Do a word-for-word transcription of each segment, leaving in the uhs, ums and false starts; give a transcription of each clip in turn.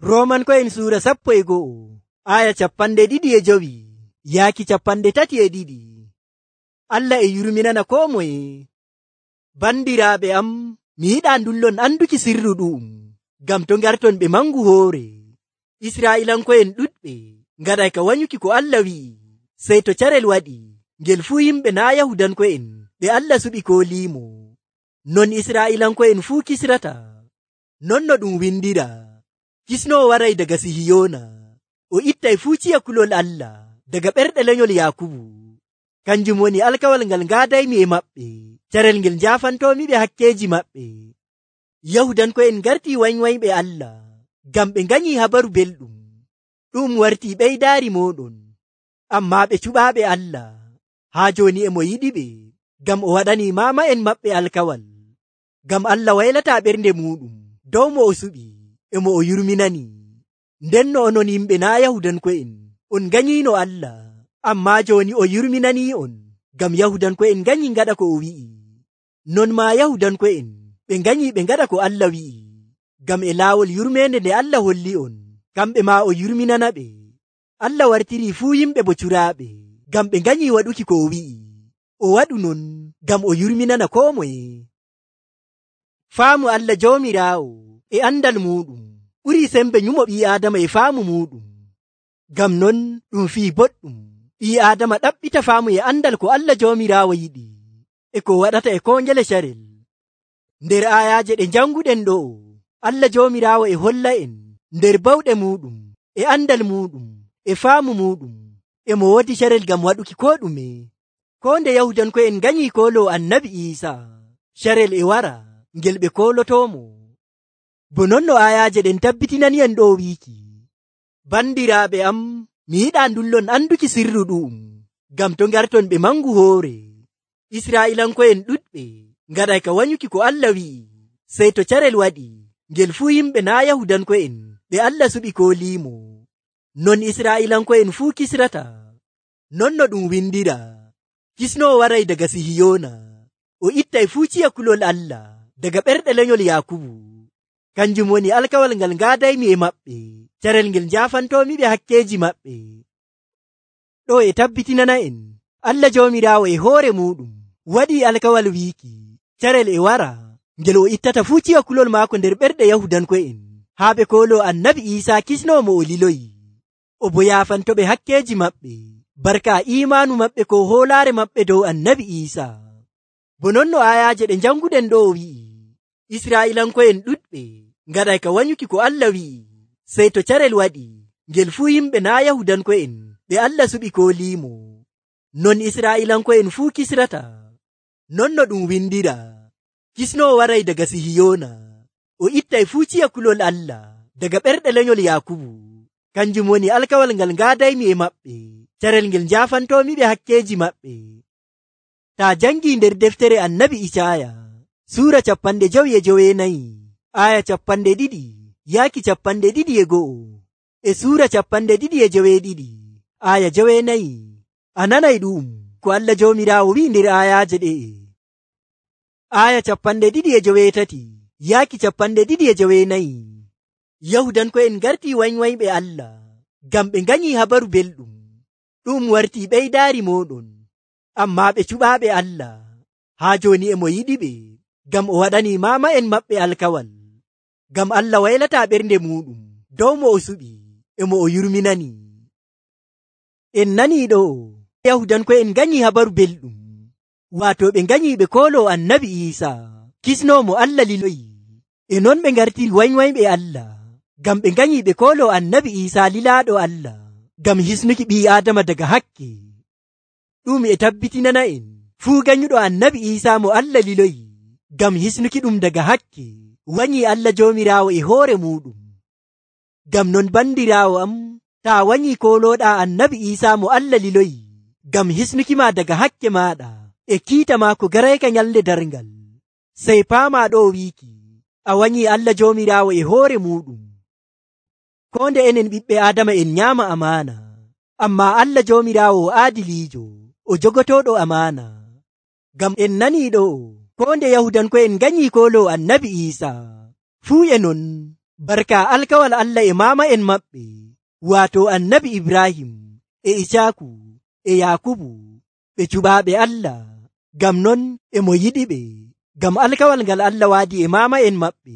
Roomanko'en suura sappo e go'o aya capanɗe ɗiɗi e jowi yaaki capanɗe tati e ɗiɗi. Allah e yurminana koo moye. Bandiraaɓe am, mi yiɗaa ndullon anduki sirru ɗu'um, ngam to ngarton ɓe mangu hoore. Israa'iilanko'en ɗuɗɓe ngaɗay ka wanyuki ko Allah wi'i, sey to carel waɗi ngel fuu yimɓe naa Yahudanko'en ɓe Allah suɓi kooliimo. Non Israa'iilanko'en fuu kisrata. Non no ɗum windira, kisnoowo waray daga Sihiyoona, o ittay fuu ciya kulol Allah daga ɓerɗe lenyol Yaakubu. Kanjum woni alkawal ngal ngaadaymi e maɓɓe, carel ngel njaafantomi ɓe hakkeeji maɓɓe. Yahudanko'en ngartii wanywanyɓe Allah ngam ɓe nganyii habaru belɗum. Ɗum wartii ɓeydaari mooɗon, ammaa ɓe cuɓaaɓe Allah. Haa jooni e mo yiɗiɓe, ngam o waɗanii maama'en maɓɓe alkawal. Ngam Allah waylataa ɓernde muuɗum dow mo o suɓi e mo o yurminani. Ndenno onon yimɓe naa Yahudanko'en, on nganyiino Allah, ammaa jooni o yurminanii'on, ngam Yahudanko'en nganyii ngaɗa ko o wi'i. Non maa Yahudanko'en ɓe nganyii ɓe ngaɗa ko Allah wi'i, ngam e laawol yurmeende nde Allah holli'on, kamɓe maa o yurminanaɓe. Allah wartirii fuu yimɓe bo curaaɓe, ngam ɓe nganyii waɗuki ko o wi'i. O waɗu non ngam o yurminana koo moye. Faamu Allah Joomiraawo e andal muuɗum ɓurii sembe nyumo ɓii Aadama e faamu muuɗum. Ngam non ɗum fii boɗɗum ɓii Aadama ɗaɓɓita faamu e andal ko Allah Joomiraawo yiɗi e ko waɗata e koo ngele carel. Nder aayaaje ɗe njanguɗen ɗo'o, Allah Joomiraawo e holla en nder bawɗe muuɗum e andal muuɗum e faamu muuɗum e mo woodi carel ngam waɗuki koo ɗume. Koo nde Yahudanko'en nganyii kooloo Annabi Iisaa, carel e wara ngel ɓe koolotoomo. Bo non no aayaaje ɗen tabbitinani'en ɗo wiiki, bandiraaɓe am, mi yiɗaa ndullon anduki sirru ɗu'um, ngam to ngarton ɓe mangu hoore. Israa'iilanko'en ɗuɗɓe ngaɗay ka wanyuki ko Allah wi'i, sey to carel waɗi ngel fuu yimɓe naa Yahudanko'en ɓe Allah suɓi kooliimo. Non Israa'iilanko'en fuu kisrata. Non no ɗum windira, kisnoowo waray daga Sihiyoona, o ittay fuu ciya kulol Allah daga ɓerɗe lenyol Yaakubu. Kanjum woni alkawal ngal ngaadaymi e maɓɓe, carel ngel njaafantomi ɓe hakkeeji maɓɓe. Ɗo e tabbitinana en, Allah Joomiraawo e hoore muuɗum waɗii alkawal wiiki, carel e wara ngel o ittata fuu ciya kulol maako nder ɓerɗe Yahudanko'en, haa ɓe kooloo Annabi Iisaa kisnoo mo o liloyi. O bo yaafantoɓe hakkeeji maɓɓe, barka iimaanu maɓɓe ko hoolaare maɓɓe dow Annabi Iisaa. Bo non no aayaaje ɗe njanguɗen ɗo wi'i, Israa'iilanko'en ɗuɗɓe ngaɗay ka wanyuki ko Allah wi'i, sey to carel waɗi ngel fuu yimɓe naa Yahudanko'en ɓe Allah suɓi kooliimo. Non Israa'iilanko'en fuu kisrata. Non no ɗum windira, kisnoowo waray daga Sihiyoona, o ittay fuu ciya kulol Allah daga ɓerɗe lenyol Yaakubu. Kanjum woni alkawal ngal ngaadaymi e maɓɓe, carel ngel njaafantomi ɓe hakkeeji maɓɓe. Taa jangii nder deftere Annabi Icaaya suura capanɗe jowi e joweenayi aya capanɗe ɗiɗi yaaki capanɗe ɗiɗi e go'o, e suura capanɗe ɗiɗi e joweeɗiɗi aya joweenayi, a nanay ɗum ko Allah Joomiraawo wi'i nder ayaaje ɗe'e. Aya capanɗe ɗiɗi e joweetati yaaki capanɗe ɗiɗi e joweenayi, Yahudanko'en ngartii wanywanyɓe Allah ngam ɓe nganyii habaru belɗum. Ɗum wartii ɓeydaari mooɗon, ammaa ɓe cuɓaaɓe Allah. Haa jooni e mo yiɗiɓe, ngam o waɗanii maama'en maɓɓe alkawal. Ngam Allah waylataa ɓernde muuɗum dow mo o suɓi e mo o yurminani. En nanii ɗo, Yahudanko'en nganyii habaru belɗum, waato ɓe nganyii ɓe kooloo Annabi Iisaa, kisnoomo Allah liloyi. E non ɓe ngartiri wanywanyɓe Allah, ngam ɓe nganyii ɓe kooloo Annabi Iisaa lilaaɗo Allah, ngam hisnuki ɓii Aadama daga hakke. Ɗum e tabbitinana en fuu ganyuɗo Annabi Iisaa mo Allah liloyi, ngam hisnuki ɗum daga hakke, wanyii Allah Joomiraawo e hoore muuɗum. Ngam non bandiraawo am, taa wanyii koolooɗaa Annabi Iisaa mo Allah liloyi, ngam hisnuki ma daga hakke maaɗa e kiita maako garayka nyalnde darngal, sey paamaa ɗo wiiki, a wanyii Allah Joomiraawo e hoore muuɗum. Koo nde enen ɓiɓɓe Aadama en nyaama amaana, ammaa Allah Joomiraawo o aadiliijo, o jogotooɗo amaana. Ngam en nanii ɗo, koo nde Yahudanko'en nganyii kooloo Annabi Iisaa, fuu e non barka alkawal Allah e mama en maɓɓe wato annabi Ibrahim e Ishaku e Yakubu ɓe cuɓaaɓe Allah. Gam non e mo yiɗi ɓe, gam alkawal ngal Allah waadi e mama en maɓɓe.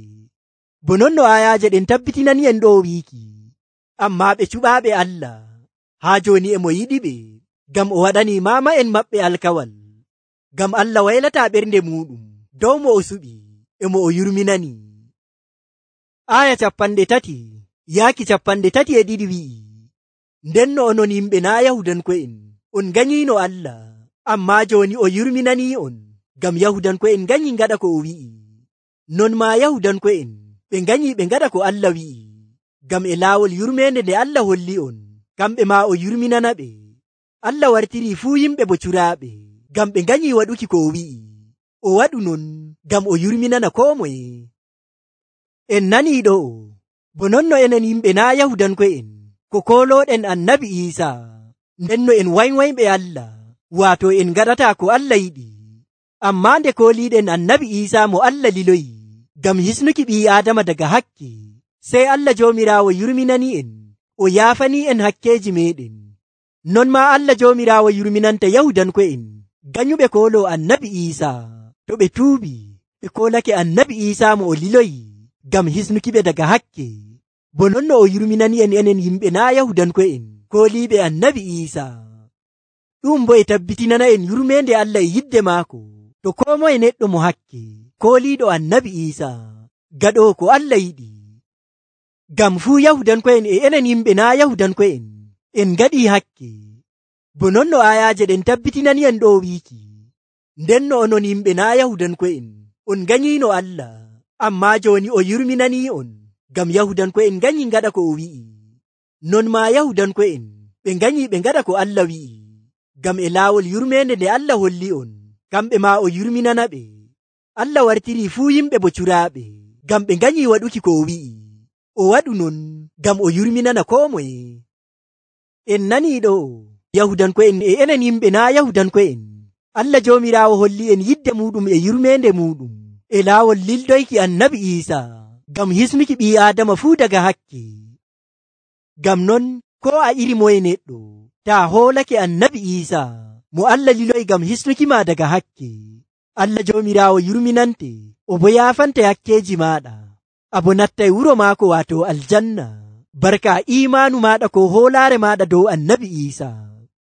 Bo non no ayaje ɗen tabbitinani en ɗo wiiki, amma ɓe cuɓaaɓe Allah haa joni e mo yiɗi ɓe, gam o waɗani mama en maɓɓe alkawal. Gam Allah waylata ɓernde muɗum dow mo o suɓi e mo o yurminani. Aya capanɗe tati yaaki capanɗe tati e ɗiɗi wi'i, nden no onon yimɓe naa Yahudanko'en on nganyino Allah, amma joni o yurminani on, gam Yahudanko'en nganyi ngaɗa ko o wi'i. Non ma Yahudanko'en ɓe nganyi ɓe ngaɗa ko Allah wi'i, gam e laawol yurmende nde Allah holli on, kamɓe ma o yurminana ɓe. Allah wartiri fuu yimɓe bo curaaɓe, gam ɓe nganyi waɗuki ko o wi'i. O waɗu non gam o yurminana koo moye. En nanii ɗo, bo non no enen yimɓe naa Yahudanko'en ko koolooɗen annabi Iisa, nden no en waywayɓe Allah, waato en ngaɗata ko Allah yiɗi. Amma nde kooliiɗen annabi Iisa mo Allah liloyi gam hisnuki ɓii Aadama daga hakke, sey Allah Joomiraawo yurminani en, o yaafani en hakkeeji meɗen. Non ma Allah Joomiraawo yurminanta Yahudanko'en ganyuɓe kooloo annabi Iisa, to ɓe tuubi ɓe koolake annabi Iisa mo o liloyi gam hisnuki ɓe daga hakke. Bo non no o yurminani en enen yimɓe naa Yahudanko'en kooliiɓe annabi Iisa. Ɗum bo e tabbitinana en yurmende Allah e yidde maako to koo moye neɗɗo mo hakke kooliiɗo annabi Iisa, gaɗoowo ko Allah yiɗi. Gam fuu Yahudanko'en e enen yimɓe naa Yahudanko'en en ngaɗii hakke. Bo non no ayaje ɗen tabbitinani en ɗo wiiki, nden no onon yimɓe naa Yahudanko'en on nganyino Allah, amma joni o yurminani on, gam Yahudanko'en nganyi ngaɗa ko o wi'i. Non ma Yahudanko'en ɓe nganyi ɓe ngaɗa ko Allah wi'i, gam e laawol yurmende nde Allah holli on, kamɓe ma o yurminana ɓe. Allah wartiri fuu yimɓe bo curaaɓe, gam ɓe nganyi waɗuki ko o wi'i. O waɗu non gam o yurminana koo moye. En nanii ɗo, Yahudanko'en e enen yimɓe naa Yahudanko'en, Allah Joomiraawo holli en yidde muɗum e yurmende muɗum e laawol lildoyki annabi Iisa gam hisnuki ɓii Aadama fuu daga hakke. Gam non ko a iri moye neɗɗo, taa hoolake annabi Iisa mo Allah liloyi gam hisnuki ma daga hakke, Allah Joomiraawo yurminante, o bo yaafante hakkeeji maɗa, abo nattay wuro maako waato aljanna, barka imaanu maɗa ko hoolaare maɗa dow annabi Iisa.